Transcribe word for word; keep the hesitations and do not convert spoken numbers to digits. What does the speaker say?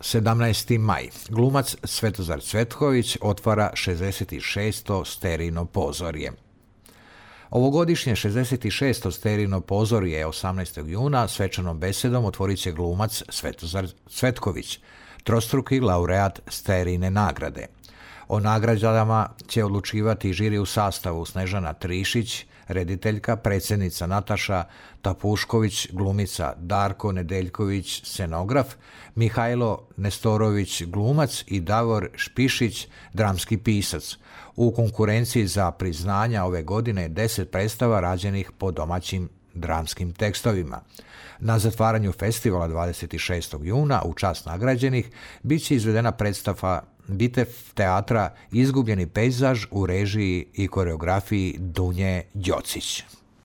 sedamnaesti maj. Glumac Svetozar Cvetković otvara šezdeset šesto Sterino pozorje. Ovogodišnje šezdeset šesto Sterino pozorje osamnaestog juna svečanom besedom otvorit će glumac Svetozar Cvetković, trostruki laureat Sterine nagrade. O nagradama će odlučivati žiri u sastavu Snežana Trišić, rediteljka, predsjednica Nataša Tapušković, glumica Darko Nedeljković, scenograf, Mihajlo Nestorović, glumac i Davor Špišić, dramski pisac. U konkurenciji za priznanja ove godine deset predstava rađenih po domaćim dramskim tekstovima. Na zatvaranju festivala dvadeset šestog juna u čast nagrađenih bit će izvedena predstava Bitev teatra Izgubljeni pejzaž u režiji i koreografiji Dunje Đocić.